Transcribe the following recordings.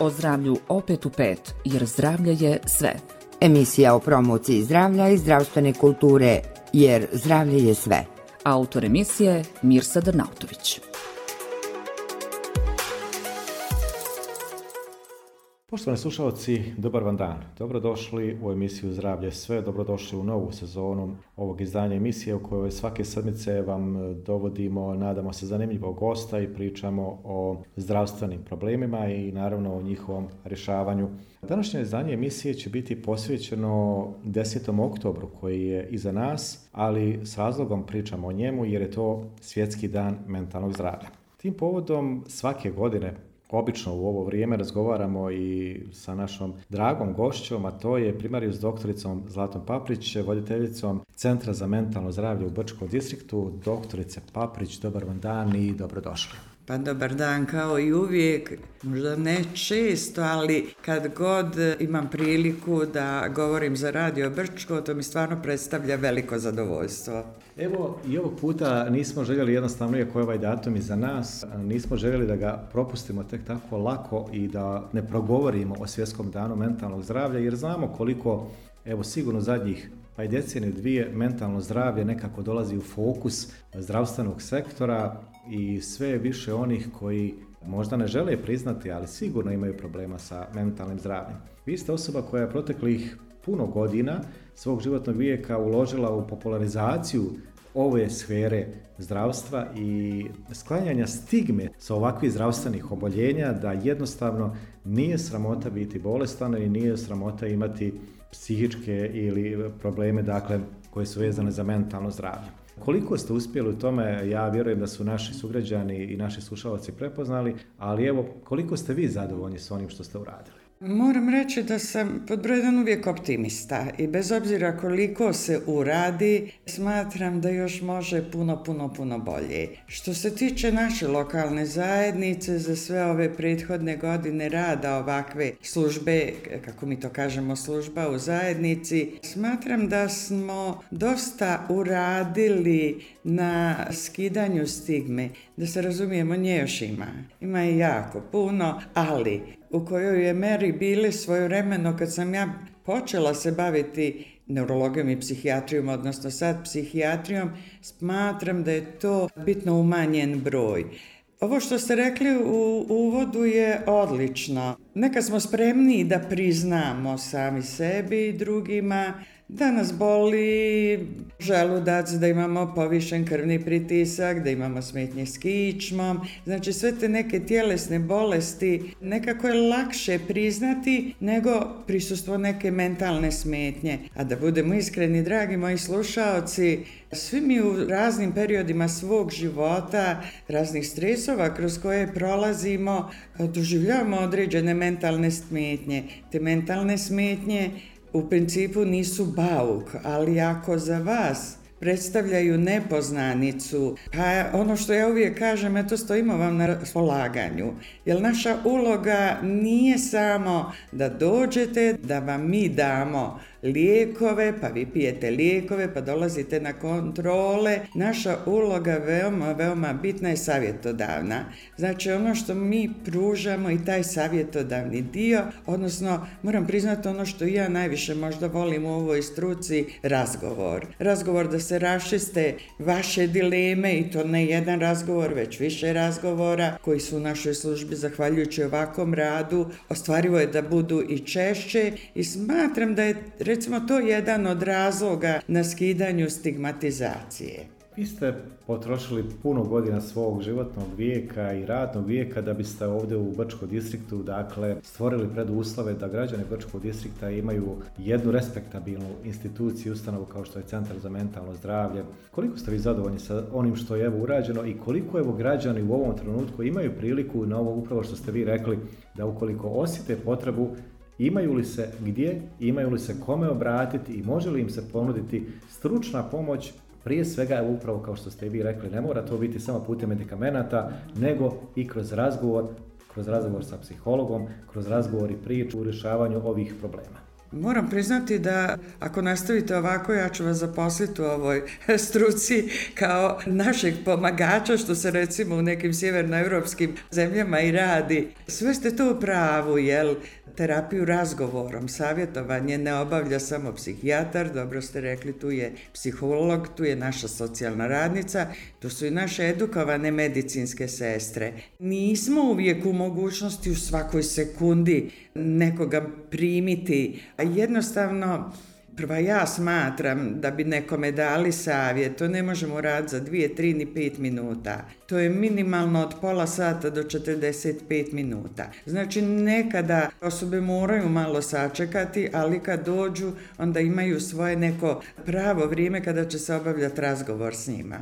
O zdravlju opet u pet, jer zdravlje je sve. Emisija o promociji zdravlja i zdravstvene kulture, jer zdravlje je sve. Autor emisije Mirsa Drnautović. Poštovani slušalci, dobar vam dan. Dobrodošli u emisiju Zdravlje sve, dobrodošli u novu sezonu ovog izdanja emisije u kojoj svake sedmice vam dovodimo, nadamo se, zanimljivog gosta i pričamo o zdravstvenim problemima i naravno o njihovom rješavanju. Današnje izdanje emisije će biti posvećeno 10. oktobru koji je iza nas, ali s razlogom pričamo o njemu jer je to Svjetski dan mentalnog zdravlja. Tim povodom svake godine obično u ovo vrijeme razgovaramo i sa našom dragom gošćom, a to je primarijus doktoricom Zlatom Paprić, voditeljicom Centra za mentalno zdravlje u Brčkom distriktu. Doktorice Paprić, dobar vam dan i dobrodošli. Pa dobar dan, kao i uvijek, možda ne često, ali kad god imam priliku da govorim za Radio Brčko, to mi stvarno predstavlja veliko zadovoljstvo. Evo, i ovog puta nismo željeli jednostavno, iako je ovaj datum iza nas, nismo željeli da ga propustimo tek tako lako i da ne progovorimo o Svjetskom danu mentalnog zdravlja, jer znamo koliko, evo sigurno zadnjih pa i deceniju dvije, mentalno zdravlje nekako dolazi u fokus zdravstvenog sektora i sve više onih koji možda ne žele priznati, ali sigurno imaju problema sa mentalnim zdravljem. Vi ste osoba koja je proteklih puno godina svog životnog vijeka uložila u popularizaciju ove sfere zdravstva i sklanjanja stigme sa ovakvih zdravstvenih oboljenja, da jednostavno nije sramota biti bolestan i nije sramota imati psihičke ili probleme, dakle, koje su vezane za mentalno zdravlje. Koliko ste uspjeli u tome, ja vjerujem da su naši sugrađani i naši slušalci prepoznali, ali evo, koliko ste vi zadovoljni s onim što ste uradili? Moram reći da sam pod broj jedan uvijek optimista i bez obzira koliko se uradi, smatram da još može puno bolje. Što se tiče naše lokalne zajednice, za sve ove prethodne godine rada ovakve službe, kako mi to kažemo, služba u zajednici, smatram da smo dosta uradili na skidanju stigme. Da se razumijemo, nje još ima. Ima je jako puno, ali u kojoj je meri bili svojevremeno kad sam ja počela se baviti neurologijom i psihijatrijom, odnosno sad psihijatrijom, smatram da je to bitno umanjen broj. Ovo što ste rekli u uvodu je odlično. Nekad smo spremniji da priznamo sami sebi i drugima da nas boli želudac, da imamo povišen krvni pritisak, da imamo smetnje s kičmom. Znači sve te neke tjelesne bolesti nekako je lakše priznati nego prisustvo neke mentalne smetnje. A da budemo iskreni, dragi moji slušaoci, svi mi u raznim periodima svog života, raznih stresova kroz koje prolazimo, doživljavamo određene mentalne smetnje. Te mentalne smetnje u principu nisu bauk, ali ako za vas predstavljaju nepoznanicu, pa ono što ja uvijek kažem, eto stojimo vam na raspolaganju. Jer naša uloga nije samo da dođete, da vam mi damo lijekove, pa vi pijete lijekove, pa dolazite na kontrole. Naša uloga veoma bitna je savjetodavna. Znači ono što mi pružamo i taj savjetodavni dio, odnosno moram priznati ono što ja najviše možda volim u ovoj struci, razgovor. Razgovor da se raščiste vaše dileme i to ne jedan razgovor, već više razgovora koji su u našoj službi, zahvaljujući ovakvom radu, ostvarivo je da budu i češće i smatram da je recimo to jedan od razloga na skidanju stigmatizacije. Vi ste potrošili puno godina svog životnog vijeka i radnog vijeka da biste ovdje u Brčkom distriktu, dakle, stvorili preduslove da građani Brčkog distrikta imaju jednu respektabilnu instituciju, ustanovu kao što je Centar za mentalno zdravlje. Koliko ste vi zadovoljni sa onim što je urađeno i koliko građani u ovom trenutku imaju priliku na ovo upravo što ste vi rekli, da ukoliko osjete potrebu, imaju li se gdje, imaju li se kome obratiti i može li im se ponuditi stručna pomoć, prije svega upravo kao što ste i vi rekli, ne mora to biti samo putem medikamenata, nego i kroz razgovor sa psihologom, kroz razgovor i priču u rješavanju ovih problema. Moram priznati da ako nastavite ovako, ja ću vas zaposliti u ovoj struci kao našeg pomagača, što se recimo u nekim sjevernoevropskim zemljama i radi. Sve ste to u pravu, jel? Terapiju razgovorom, savjetovanje ne obavlja samo psihijatar, dobro ste rekli, tu je psiholog, tu je naša socijalna radnica, tu su i naše edukovane medicinske sestre. Nismo uvijek u mogućnosti u svakoj sekundi nekoga primiti, a jednostavno prva ja smatram da bi nekome dali savjet, to ne možemo raditi za 2, 3 ni 5 minuta. To je minimalno od pola sata do 45 minuta. Znači nekada osobe moraju malo sačekati, ali kad dođu onda imaju svoje neko pravo vrijeme kada će se obavljati razgovor s njima.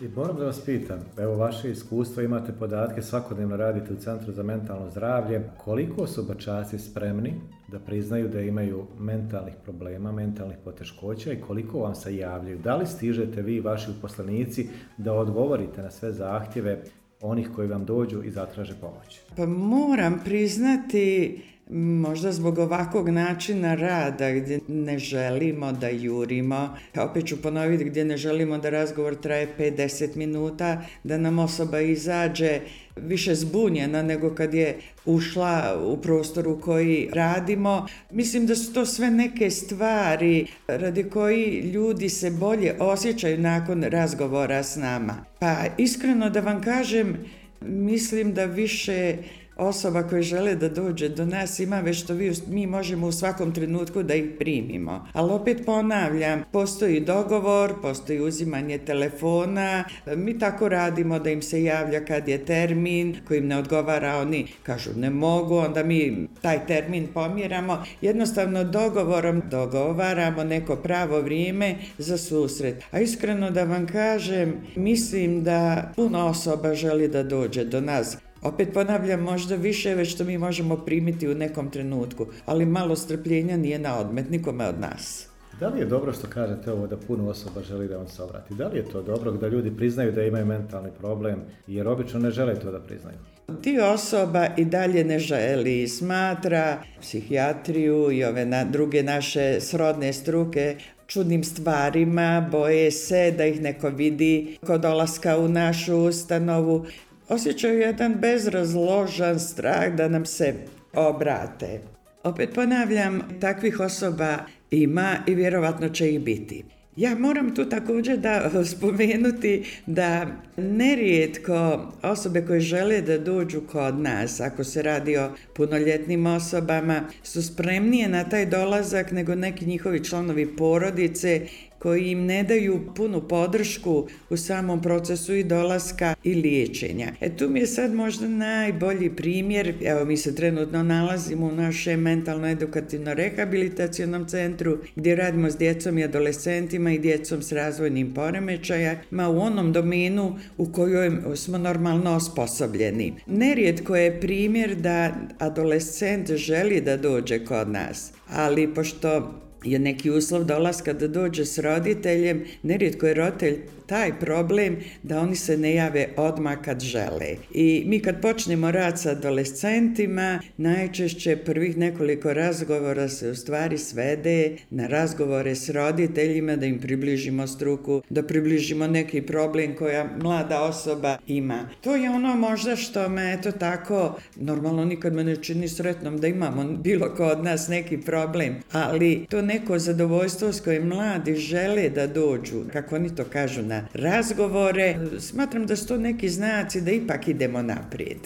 I moram da vas pitam, evo vaše iskustvo, imate podatke, svakodnevno radite u Centru za mentalno zdravlje, koliko su bačaci spremni da priznaju da imaju mentalnih problema, mentalnih poteškoća i koliko vam se javljaju? Da li stižete vi i vaši uposlenici da odgovorite na sve zahtjeve onih koji vam dođu i zatraže pomoć? Pa moram priznati, možda zbog ovakvog načina rada gdje ne želimo da jurimo, opet ću ponoviti, gdje ne želimo da razgovor traje 5-10 minuta, da nam osoba izađe više zbunjena nego kad je ušla u prostor u koji radimo. Mislim da su to sve neke stvari radi koji ljudi se bolje osjećaju nakon razgovora s nama. Pa iskreno da vam kažem, mislim da više osoba koje žele da dođe do nas ima već što mi možemo u svakom trenutku da ih primimo. Ali opet ponavljam, postoji dogovor, postoji uzimanje telefona, mi tako radimo da im se javlja kad je termin, koji im ne odgovara, oni kažu ne mogu, onda mi taj termin pomjeramo, jednostavno dogovorom dogovaramo neko pravo vrijeme za susret. A iskreno da vam kažem, mislim da puno osoba želi da dođe do nas. Opet ponavljam, možda više već što mi možemo primiti u nekom trenutku, ali malo strpljenja nije na odmet nikome od nas. Da li je dobro što kažete ovo da puno osoba želi da vam se obrati? Da li je to dobro da ljudi priznaju da imaju mentalni problem, jer obično ne žele to da priznaju? Dio osoba i dalje ne želi, smatra psihijatriju i ove druge naše srodne struke čudnim stvarima, boje se da ih neko vidi kod dolaska u našu ustanovu. Osjećaju jedan bezrazložan strah da nam se obrate. Opet ponavljam, takvih osoba ima i vjerovatno će ih biti. Ja moram tu također da spomenuti da nerijetko osobe koje žele da dođu kod nas, ako se radi o punoljetnim osobama, su spremnije na taj dolazak nego neki njihovi članovi porodice koji im ne daju punu podršku u samom procesu i dolaska i liječenja. Tu mi je sad možda najbolji primjer, evo mi se trenutno nalazimo u našem mentalno-edukativno-rehabilitacionom centru gdje radimo s djecom i adolescentima i djecom s razvojnim poremećajima u onom domenu u kojoj smo normalno osposobljeni. Nerijetko je primjer da adolescent želi da dođe kod nas, ali pošto je neki uslov dolaska da dođe s roditeljem, nerijetko je roditelj taj problem da oni se ne jave odmah kad žele. I mi kad počnemo rad sa adolescentima, najčešće prvih nekoliko razgovora se u stvari svede na razgovore s roditeljima, da im približimo struku, da približimo neki problem koja mlada osoba ima. To je ono možda što me, eto tako, normalno nikad me ne čini sretnom da imamo bilo ko od nas neki problem, ali to neko zadovoljstvo s kojim mladi žele da dođu, kako oni to kažu, na razgovore, smatram da su to neki znaci da ipak idemo naprijed.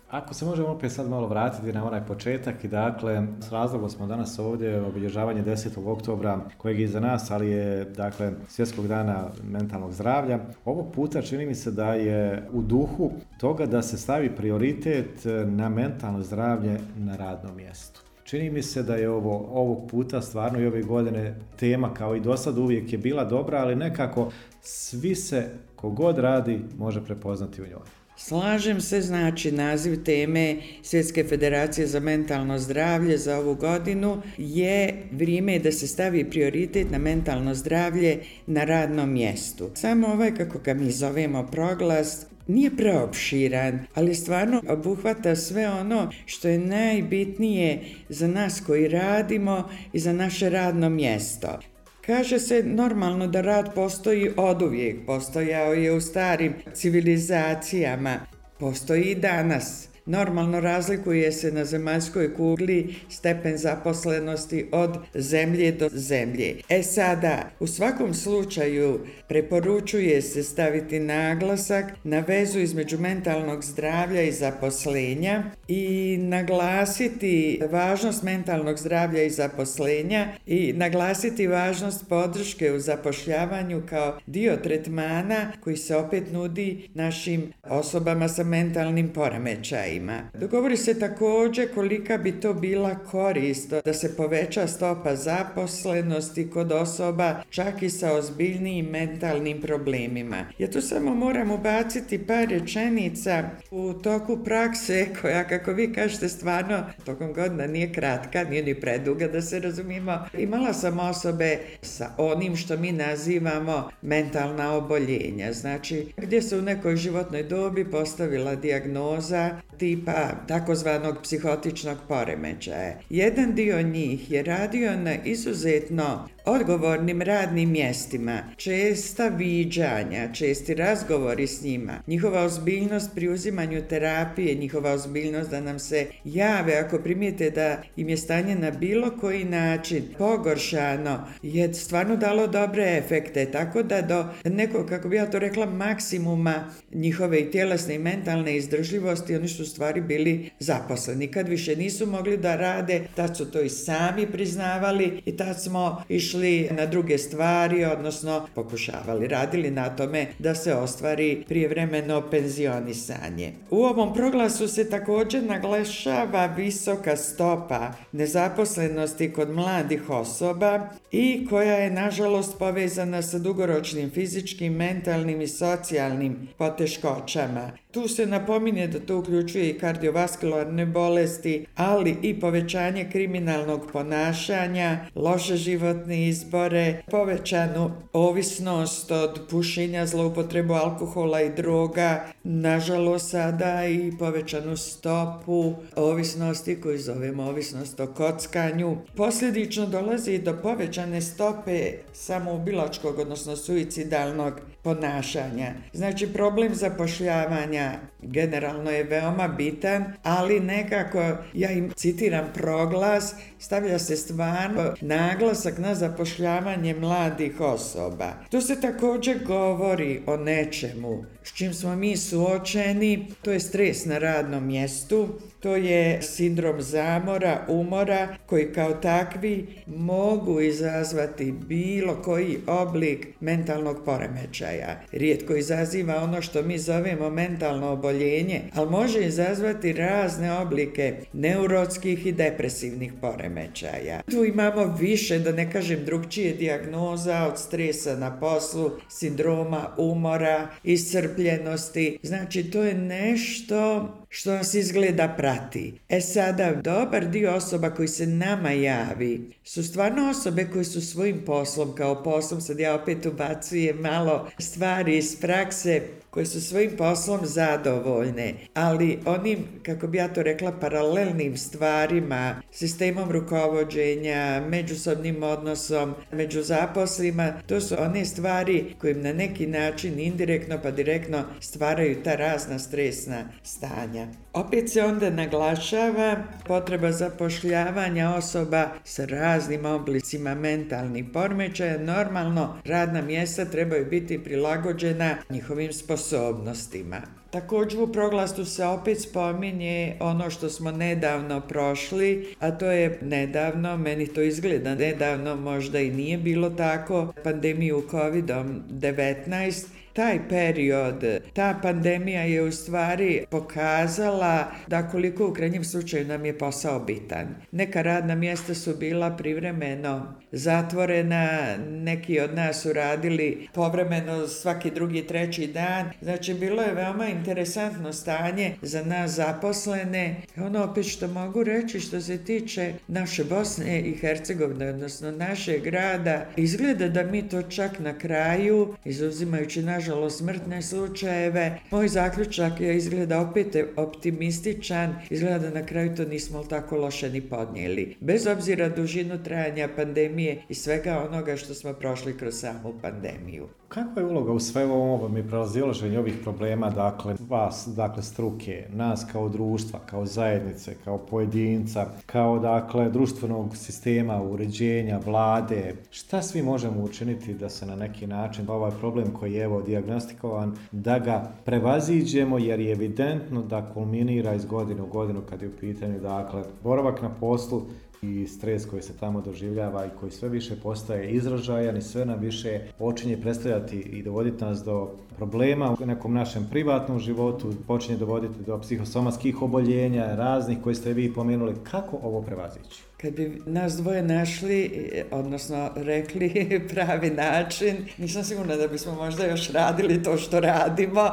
Ako se možemo opet sad malo vratiti na onaj početak i dakle, s razlogom smo danas ovdje obilježavanje 10. oktobra kojeg je iza nas, ali je dakle Svjetskog dana mentalnog zdravlja. Ovog puta čini mi se da je u duhu toga da se stavi prioritet na mentalno zdravlje na radnom mjestu. Čini mi se da je ovog puta stvarno i ove godine tema kao i do sad uvijek je bila dobra, ali nekako svi se kogod radi može prepoznati u njoj. Slažem se, znači naziv teme Svjetske federacije za mentalno zdravlje za ovu godinu je vrijeme da se stavi prioritet na mentalno zdravlje na radnom mjestu. Samo kako ga mi zovemo proglas, nije preopširan, ali stvarno obuhvata sve ono što je najbitnije za nas koji radimo i za naše radno mjesto. Kaže se normalno da rad postoji oduvijek, postojao je u starim civilizacijama, postoji i danas. Normalno razlikuje se na zemaljskoj kugli stepen zaposlenosti od zemlje do zemlje. Sada, u svakom slučaju preporučuje se staviti naglasak na vezu između mentalnog zdravlja i zaposlenja i naglasiti važnost mentalnog zdravlja i zaposlenja i naglasiti važnost podrške u zapošljavanju kao dio tretmana koji se opet nudi našim osobama sa mentalnim poremećajima. Dogovori se također kolika bi to bila korist da se poveća stopa zaposlenosti kod osoba čak i sa ozbiljnijim mentalnim problemima. Ja tu samo moram ubaciti par rečenica u toku prakse koja, kako vi kažete, stvarno tokom godina nije kratka, nije ni preduga da se razumimo. Imala sam osobe sa onim što mi nazivamo mentalna oboljenja, znači gdje se u nekoj životnoj dobi postavila dijagnoza tipa takozvanog psihotičnog poremećaja. Jedan dio njih je radio na izuzetno odgovornim radnim mjestima, česta viđanja, česti razgovori s njima, njihova ozbiljnost pri uzimanju terapije, njihova ozbiljnost da nam se jave ako primijete da im je stanje na bilo koji način pogoršano, je stvarno dalo dobre efekte, tako da do nekog, kako bi ja to rekla, maksimuma njihove i tjelesne i mentalne izdržljivosti oni su stvari bili zaposleni. Kad više nisu mogli da rade, tad su to i sami priznavali i tad smo išli na druge stvari, odnosno pokušavali, radili na tome da se ostvari prijevremeno penzionisanje. U ovom proglasu se također naglašava visoka stopa nezaposlenosti kod mladih osoba i koja je nažalost povezana sa dugoročnim fizičkim, mentalnim i socijalnim poteškoćama. Tu se napominje da to uključuje i kardiovaskularne bolesti, ali i povećanje kriminalnog ponašanja, loše životne izbore, povećanu ovisnost od pušenja, zloupotrebu alkohola i droga, nažalost sada i povećanu stopu ovisnosti koju zovemo ovisnost o kockanju. Posljedično dolazi do povećane stope samoubilačkog, odnosno suicidalnog ponašanja. Znači problem zapošljavanja generalno je veoma bitan, ali nekako, ja im citiram proglas, stavlja se stvarno naglasak na zapošljavanje mladih osoba. Tu se također govori o nečemu s čim smo mi suočeni, to je stres na radnom mjestu, to je sindrom zamora, umora, koji kao takvi mogu izazvati bilo koji oblik mentalnog poremećaja. Rijetko izaziva ono što mi zovemo mentalno oboljenje, ali može izazvati razne oblike neurotskih i depresivnih poremećaja. Tu imamo više, da ne kažem drugčije, dijagnoza od stresa na poslu, sindroma umora, iscrpljenosti. Znači, to je nešto što nas izgleda prati. Sada, dobar dio osoba koji se nama javi su stvarno osobe koje su svojim poslom, kao poslom, sad ja opet ubacujem malo stvari iz prakse, koje su svojim poslom zadovoljne, ali onim, kako bi ja to rekla, paralelnim stvarima, sistemom rukovođenja, međusobnim odnosom među zaposlima, to su one stvari koje na neki način indirektno pa direktno stvaraju ta razna stresna stanja. Opet se onda naglašava potreba zapošljavanja osoba sa raznim oblicima mentalnih poremećaja. Normalno, radna mjesta trebaju biti prilagođena njihovim sposobnostima. Također u proglasu se opet spominje ono što smo nedavno prošli, a to je nedavno, meni to izgleda nedavno, možda i nije bilo tako, pandemiju COVID-19. Taj period, ta pandemija je u stvari pokazala da koliko u krajnjem slučaju nam je posao bitan. Neka radna mjesta su bila privremeno zatvorena, neki od nas su radili povremeno svaki drugi, treći dan. Znači, bilo je veoma interesantno stanje za nas zaposlene. Ono opet što mogu reći što se tiče naše Bosne i Hercegovine, odnosno našeg grada, izgleda da mi to čak na kraju, izuzimajući naš nažalost smrtne slučajeve. Moj zaključak je izgleda opet optimističan, izgleda da na kraju to nismo tako loše ni podnijeli. Bez obzira dužinu trajanja pandemije i svega onoga što smo prošli kroz samu pandemiju. Kakva je uloga u svemu ovom i prelazilaženju ovih problema, dakle, vas, dakle, struke, nas kao društva, kao zajednice, kao pojedinca, kao, dakle, društvenog sistema, uređenja, vlade, šta svi možemo učiniti da se na neki način ovaj problem koji je evo dijagnostikovan, da ga prevaziđemo, jer je evidentno da kulminira iz godine u godinu kad je u pitanju, dakle, boravak na poslu i stres koji se tamo doživljava i koji sve više postaje izražajan i sve nam više počinje predstavljati i dovoditi nas do problema u nekom našem privatnom životu, počinje dovoditi do psihosomatskih oboljenja, raznih koje ste vi pomenuli. Kako ovo prevazići? Kad bi nas dvoje našli, odnosno rekli pravi način, nisam sigurna da bismo možda još radili to što radimo.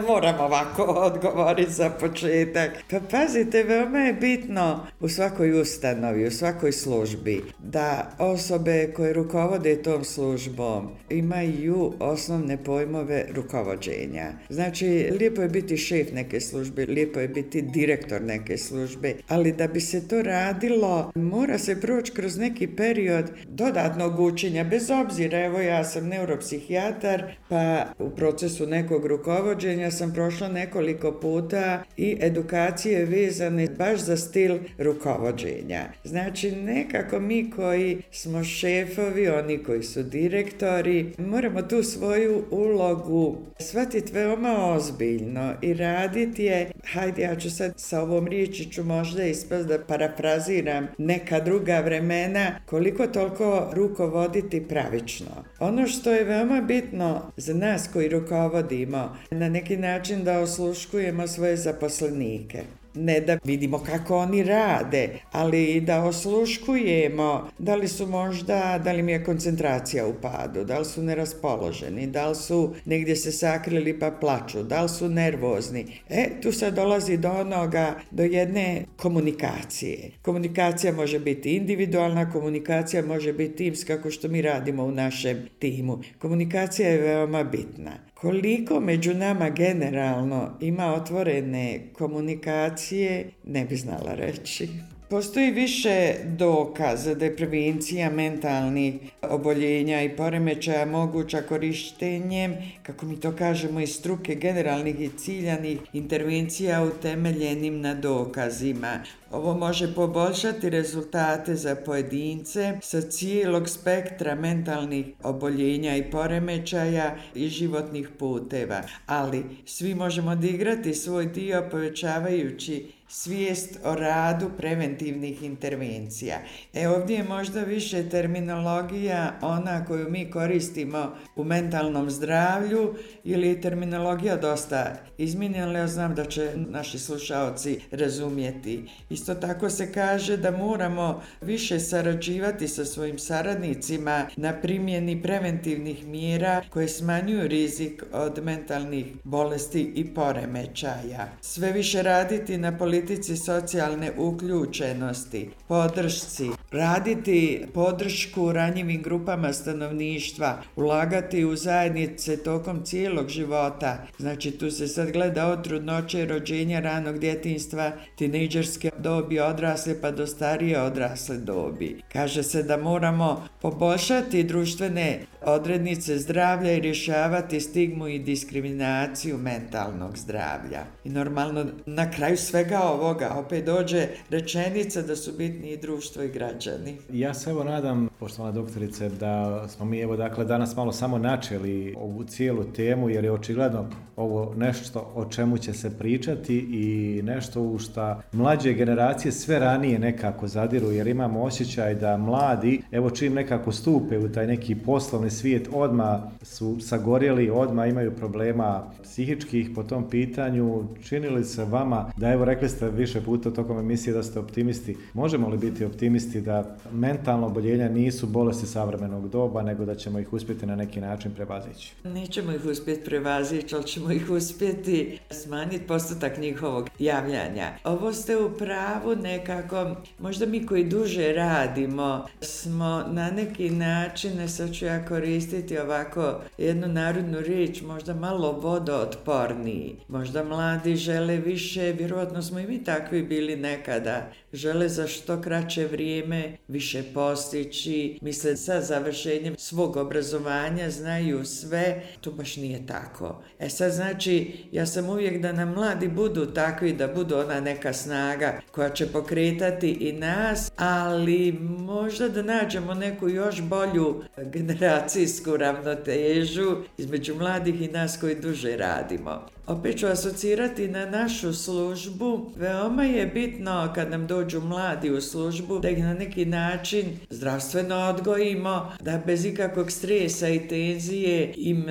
Moram ovako odgovoriti za početak. Pa pazite, veoma je bitno u svakoj ustanovi, u svakoj službi, da osobe koje rukovode tom službom imaju osnovne pojmove rukovođenja. Znači, lijepo je biti šef neke službe, lijepo je biti direktor neke službe, ali da bi se to radilo, mora se proći kroz neki period dodatnog učenja, bez obzira, evo ja sam neuropsihijatar, pa u procesu nekog rukovođenja sam prošla nekoliko puta i edukacije vezane baš za stil rukovođenja. Znači, nekako mi koji smo šefovi, oni koji su direktori, moramo tu svoju ulogu shvatiti veoma ozbiljno i raditi je, hajde, ja ću sad sa ovom riječi ću možda ispast da parafraziram neka druga vremena, koliko toliko rukovoditi pravično. Ono što je veoma bitno za nas koji rukovodimo, na neki način da osluškujemo svoje zaposlenike. Ne da vidimo kako oni rade, ali da osluškujemo da li su možda, da li im je koncentracija u padu, da li su neraspoloženi, da li su negdje se sakrili pa plaču, da li su nervozni. Tu sad dolazi do onoga, do jedne komunikacije. Komunikacija može biti individualna, komunikacija može biti timska, kako što mi radimo u našem timu. Komunikacija je veoma bitna. Koliko među nama generalno ima otvorene komunikacije, ne bi znala reći. Postoji više dokaza da je prevencija mentalnih oboljenja i poremećaja moguća korištenjem, kako mi to kažemo, iz struke generalnih i ciljanih intervencija utemeljenim na dokazima. Ovo može poboljšati rezultate za pojedince sa cijelog spektra mentalnih oboljenja i poremećaja i životnih puteva, ali svi možemo odigrati svoj dio povećavajući svijest o radu preventivnih intervencija. Ovdje je možda više terminologija ona koju mi koristimo u mentalnom zdravlju ili je terminologija dosta izmijenjena, ja znam da će naši slušaoci razumjeti. Isto tako se kaže da moramo više sarađivati sa svojim saradnicima na primjeni preventivnih mjera koje smanjuju rizik od mentalnih bolesti i poremećaja. Sve više raditi na politici socijalne uključenosti, podršci, raditi podršku ranjivim grupama stanovništva, ulagati u zajednice tokom cijelog života. Znači, tu se sad gleda od trudnoće, rođenja, ranog djetinjstva, tinejdžerske dobi, odrasle pa do starije odrasle dobi. Kaže se da moramo poboljšati društvene odrednice zdravlja i rješavati stigmu i diskriminaciju mentalnog zdravlja. I normalno, na kraju svega ovoga opet dođe rečenica da su bitni i društvo i građani. Ja se evo nadam, poštovana doktorice, da smo mi evo dakle danas malo samo načeli ovu cijelu temu, jer je očigledno ovo nešto o čemu će se pričati i nešto u šta mlađe generacije sve ranije nekako zadiru, jer imamo osjećaj da mladi, evo čim nekako stupe u taj neki poslovni svijet, odmah su sagorjeli, odmah imaju problema psihičkih po tom pitanju. Čini li se vama da, evo rekli ste više puta tokom emisije da ste optimisti, možemo li biti optimisti da mentalno oboljenja nisu bolesti savremenog doba, nego da ćemo ih uspjeti na neki način prevazići. Nećemo ih uspjeti prevazići, ali ćemo ih uspjeti smanjiti postotak njihovog javljanja. Ovo ste u pravu nekako, možda mi koji duže radimo smo na neki način, sad ću ja koristiti ovako jednu narodnu riječ, možda malo vodootporniji. Možda mladi žele više, vjerojatno smo i mi takvi bili nekada, žele za što kraće vrijeme više postići, misle sa završenjem svog obrazovanja znaju sve, to baš nije tako. Sad znači, ja sam uvijek da nam mladi budu takvi, da budu ona neka snaga koja će pokretati i nas, ali možda da nađemo neku još bolju generacijsku ravnotežu između mladih i nas koji duže radimo. Opet ću asocirati na našu službu. Veoma je bitno kad nam dođu mladi u službu da ih na neki način zdravstveno odgojimo, da bez ikakvog stresa i tenzije im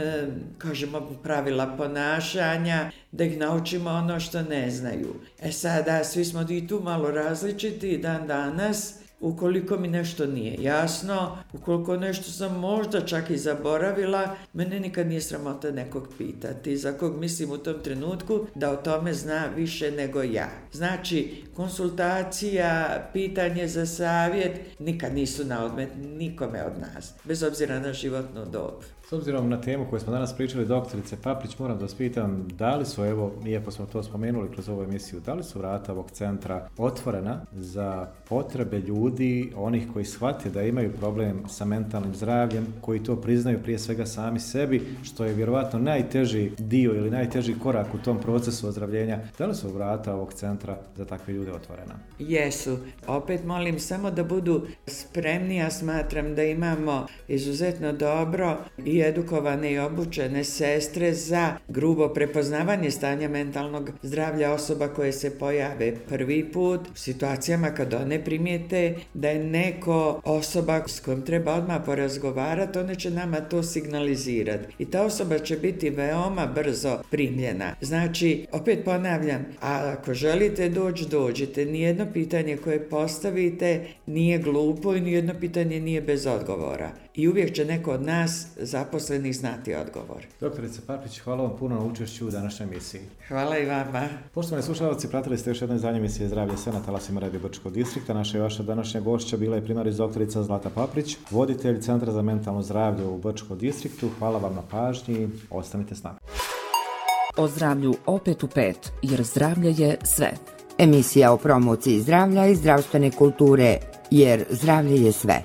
kažemo pravila ponašanja, da ih naučimo ono što ne znaju. Sada svi smo i tu malo različiti dan danas. Ukoliko mi nešto nije jasno, ukoliko nešto sam možda čak i zaboravila, mene nikad nije sramota nekog pitati, za kog mislim u tom trenutku da o tome zna više nego ja. Znači, konsultacija, pitanje za savjet nikad nisu na odmet nikome od nas, bez obzira na životnu dob. S obzirom na temu koju smo danas pričali, doktorice Paprić, moram da vas pitam, da li su, evo, iako smo to spomenuli kroz ovu emisiju, da li su vrata ovog centra otvorena za potrebe ljudi, onih koji shvate da imaju problem sa mentalnim zdravljem, koji to priznaju prije svega sami sebi, što je vjerovatno najteži dio ili najteži korak u tom procesu ozdravljenja. Da li su vrata ovog centra za takve ljude otvorena? Jesu. Opet molim samo da budu spremni, ja smatram da imamo izuzetno dobro i edukovane i obučene sestre za grubo prepoznavanje stanja mentalnog zdravlja osoba koje se pojave prvi put u situacijama kad one primijete da je neko osoba s kojom treba odmah porazgovarati, one će nama to signalizirati i ta osoba će biti veoma brzo primljena. Znači, opet ponavljam, a ako želite dođite, nijedno pitanje koje postavite nije glupo i nijedno pitanje nije bez odgovora. I uvijek će neko od nas zaposlenih znati odgovor. Doktorice Paprić, hvala vam puno na učešću u današnjoj emisiji. Hvala i vama. Poštovani slušalci, pratili ste još jedno izdanje emisije Zdravlje sve na talasima Radio Brčkog distrikta. Naša i vaša današnja gošća bila je primaris doktorica Zlata Paprić, voditelj Centra za mentalno zdravlje u Brčkom distriktu. Hvala vam na pažnji, ostanite s nama. O zdravlju opet u 5, jer zdravlje je sve. Emisija o promociji zdravlja i zdravstvene kulture, jer zdravlje je sve.